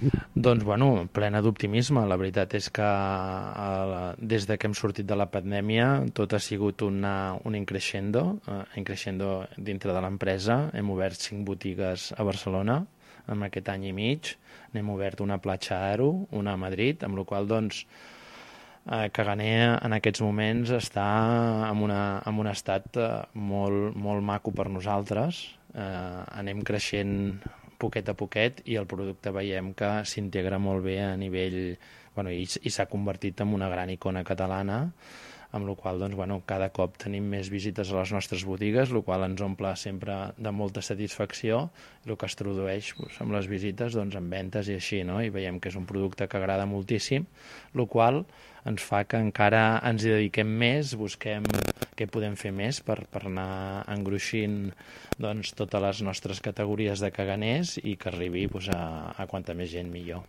Doncs, bueno, plena d'optimisme. La veritat és que des de que hem sortit de la pandèmia tot ha sigut un increixendo dintre de l'empresa. Hem obert 5 botigues a Barcelona en aquest any i mig. N'hem obert una a Platja Aro, una a Madrid, amb la qual cosa, doncs, Caganer en aquests moments està en un estat molt, molt maco per nosaltres. Anem creixent poquet a poquet i el producte veiem que s'integra molt bé a nivell... Bueno, i s'ha convertit en una gran icona catalana, amb la qual doncs, bueno, cada cop tenim més visites a les nostres botigues, el qual ens omple sempre de molta satisfacció, el que es tradueix doncs, amb les visites doncs, en ventes i així, no? I veiem que és un producte que agrada moltíssim, el qual ens fa que encara ens hi dediquem més, busquem què podem fer més per anar engruixint doncs, totes les nostres categories de caganers i que arribi doncs, a quanta més gent millor.